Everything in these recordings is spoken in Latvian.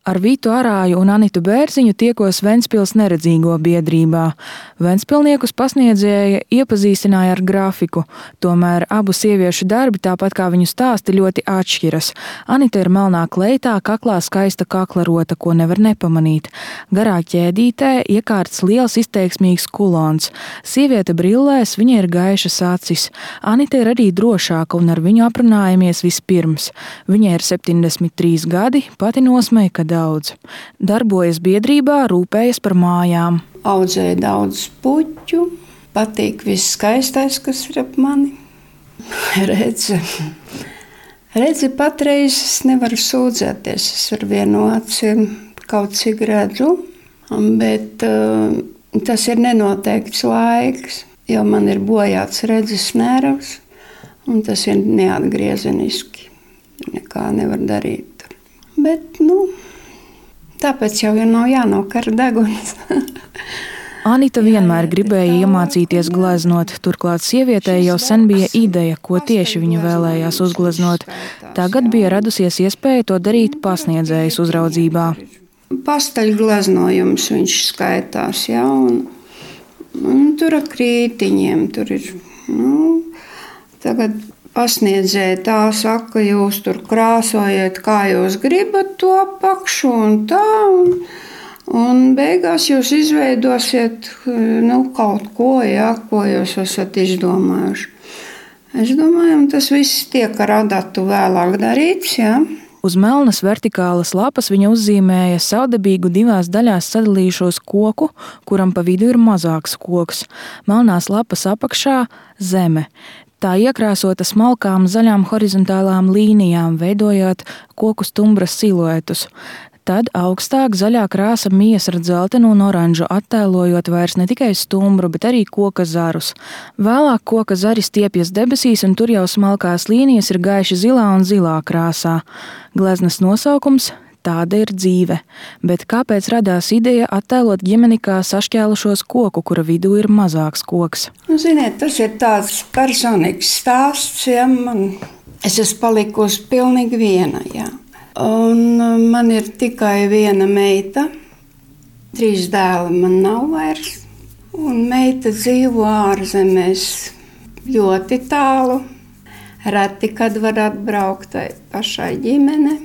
Ar Vitu Arāju un Anitu Bērziņu tiekos Ventspils neredzīgo biedrībā. Ventspilniekus pasniedzēja iepazīstināja ar grafiku, tomēr abu sieviešu darbi, tāpat kā viņu stāsti, ļoti atšķiras. Anita ir melnā kleitā, kaklā skaista kaklarota, ko nevar nepamanīt. Garā ķēdītē iekārts liels izteiksmīgs kulons. Sieviete brillēs, viņa ir gaišas acis. Anita ir arī drošāka un ar viņu aprunājamies vispirms. Viņai ir 73 gadi, pati nosmeja, daudz. Darbojas biedrībā, rūpējas par mājām. Audzēju daudz puķu, patīk viss skaistais, kas ir ap mani. Redzi patreiz es nevaru sūdzēties, es ar vienu aci kaut cik redzu, bet tas ir nenoteikts laiks, jo man ir bojāts redzes nervs, un tas ir neatgriezeniski. Nekā nevar darīt. Bet, tāpēc jau nav jānokar deguns. Anita vienmēr gribēja iemācīties gleznot, turklāt sievietei jau sen bija ideja, ko tieši viņa vēlējās uzgleznot. Tagad bija radusies iespēja to darīt pasniedzējas uzraudzībā. Pasteļgleznojums viņš skaitās, jā, un tur ar krītiņiem, tur ir, tagad pasniedzēja tā saka, jūs tur krāsojiet, kā jūs gribat to apakšu un tā, un beigās jūs izveidosiet kaut ko, jā, ko jūs esat izdomājuši. Es domāju, tas viss tiek ar adatu vēlāk darīts, jā. Uz melnas vertikālas lapas viņa uzzīmēja savdabīgu divās daļās sadalījušos koku, kuram pa vidu ir mazāks koks. Melnās lapas apakšā zeme. Tā iekrāsota smalkām zaļām horizontālām līnijām, veidojot koku stumbras siluetus. Tad augstāk zaļā krāsa mijas ar dzeltenu un oranžu, attēlojot vairs ne tikai stumbru, bet arī koka zarus. Vēlāk koka zari stiepjas debesīs, un tur jau smalkās līnijas ir gaiši zilā un zilā krāsā. Gleznas nosaukums – Tāda ir dzīve, bet kāpēc radās ideja attēlot ģimeni kā sašķēlušos koku, kura vidū ir mazāks koks? Ziniet, tas ir tāds personīgs stāsts, ja es esmu palikusi pilnīgi viena, jā. Un man ir tikai viena meita, 3 dēli man nav vairs, un meita dzīvo ārzemēs ļoti tālu, reti, kad var atbraukt tai pašai ģimene,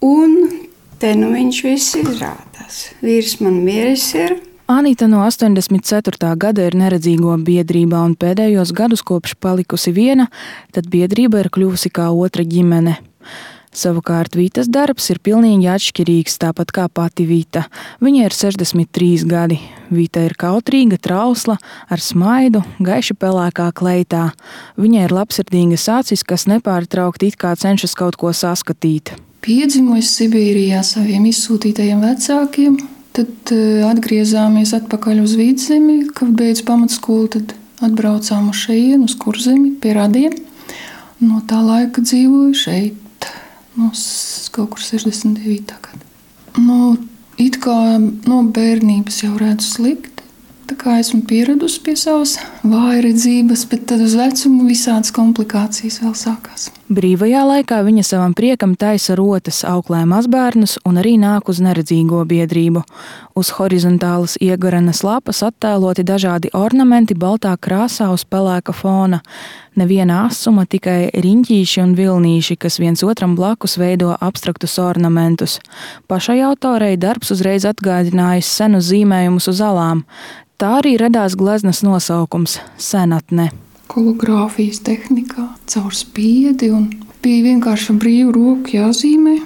un te viņš viss izrādās. Vīrs man mieris ir. Anita no 84. gada ir neredzīgo biedrībā un pēdējos gadus kopš palikusi viena, tad biedrība ir kļuvusi kā otra ģimene. Savukārt Vitas darbs ir pilnīgi atšķirīgs, tāpat kā pati Vita. Viņa ir 63 gadi. Vita ir kautrīga, trausla, ar smaidu, gaiši pelēkā kleitā. Viņai ir labsirdīgas acis, kas nepārtraukti it kā cenšas kaut ko saskatīt. Piedzimu es Sibīrijā saviem izsūtītajiem vecākiem, tad atgriezāmies atpakaļ uz Vidzemi, kad beidz pamatskolu, tad atbraucām uz šejienu, uz Kurzemi, pie radiem. No tā laika dzīvoju šeit, kaut kur 69. gada. It kā no bērnības jau redzu slikti, tā kā esmu pieradusi pie savas vājredzības, bet tad uz vecumu visādas komplikācijas vēl sākās. Brīvajā laikā viņa savam priekam taisa rotas, auklē mazbērnus un arī nāk uz neredzīgo biedrību. Uz horizontālas iegarenas lapas attēloti dažādi ornamenti baltā krāsā uz pelēka fona. Neviena asuma, tikai riņķīši un vilnīši, kas viens otram blakus veido abstraktus ornamentus. Pašai autorei darbs uzreiz atgādinājis senus zīmējumus uz alām. Tā arī radās gleznas nosaukums – senatne. Kologrāfijas tehnikā, caur spiedi, un bija vienkārši brīvu roku jāzīmē.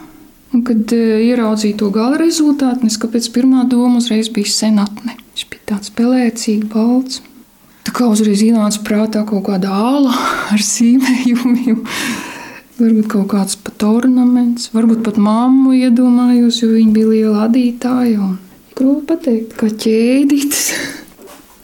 Un, kad ieraudzīju to gala rezultātu, kāpēc pirmā doma uzreiz bija senatne. Viņš bija tāds pelēcīgi, balts. Tā kā uzreiz ienāca prātā kaut kāda āla ar zīmējumiem. Varbūt kaut kāds pat ornaments, varbūt pat mammu iedomājos, jo viņa bija liela adītāja. Grūti pateikt, kā ķēdītas,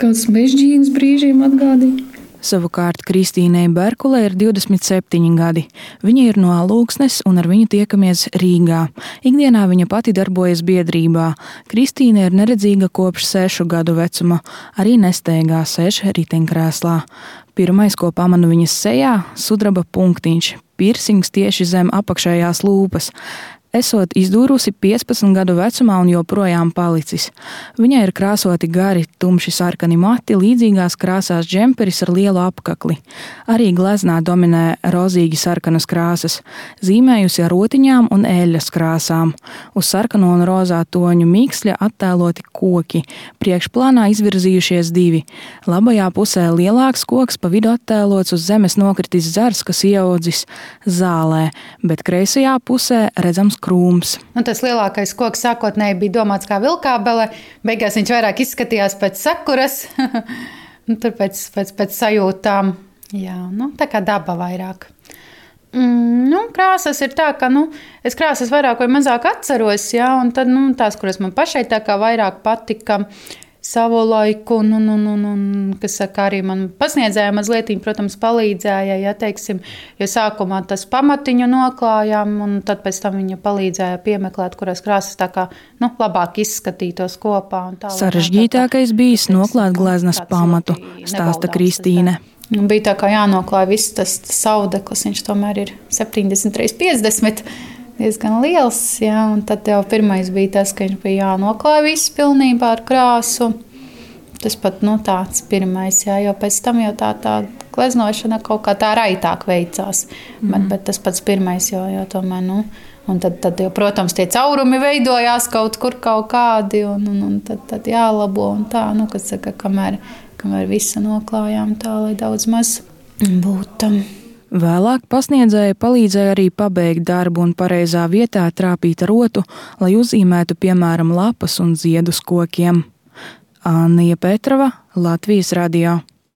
kāds mežģīnas brīžiem atgādīja. Savukārt Kristīnei Berkulei ir 27 gadi. Viņa ir no Alūksnes un ar viņu tiekamies Rīgā. Ikdienā viņa pati darbojas biedrībā. Kristīne ir neredzīga kopš 6 gadu vecuma, arī nesteigā sēž riteņkrēslā. Pirmais, ko pamanu viņas sejā, sudraba punktiņš, pirsings tieši zem apakšējās lūpas. esot izdūrusi 15 gadu vecumā un joprojām palicis. Viņai ir krāsoti gari, tumši sarkani mati, līdzīgās krāsās džemperis ar lielu apkakli. Arī gleznā dominē rozīgi sarkanas krāsas, zīmējusi ar rotiņām un eļļas krāsām. Uz sarkano un rozā toņu miksļa attēloti koki, priekšplānā izvirzījušies 2. Labajā pusē lielāks koks, pa vidu attēlots uz zemes nokritis zars, kas ieaudzis zālē, bet kreisajā pusē redzams krūms. Tas lielākais koks sākotnēji bija domāts kā vilkābele, beigās viņš vairāk izskatījās pēc sakuras, tur pēc sajūtām. Jā, tā kā daba vairāk. Krāsas ir tā, ka es krāsas vairāk vai mazāk atceros, jā, un tad tās, kuras man pašai tā kā vairāk patika savu laiku, un kas saka, arī man pasniedzēja mazliet, protams, palīdzēja, ja teiksim, jo sākumā tas pamatiņu noklājām, un tad pēc tam viņa palīdzēja piemeklēt, kurās krāsas tā kā, labāk izskatītos kopā. Un tā, sarežģītākais bijis noklāt gleznas pamatu, stāsta Kristīne. Bija tā kā jānoklāj viss tas saudeklis, viņš tomēr ir 70x50, diezgan liels, jā, un tad jau pirmais bija tas, ka viņš bija jānoklāj viss pilnībā ar krāsu. Tas pat, tāds pirmais, jā, jo pēc tam jau tā gleznošana kaut kā tā raitāk veicās. Bet tas pats pirmais jau tomēr, un tad jau, protams, tie caurumi veidojās kaut kur kaut kādi, un tad jālabo, un tā, kas saka, kamēr visu noklājām tā, lai daudz maz būtu. Vēlāk pasniedzēja palīdzēja arī pabeigt darbu un pareizā vietā trāpīt rotu, lai uzzīmētu, piemēram, lapas un ziedus kokiem. Annija Petrova, Latvijas radio.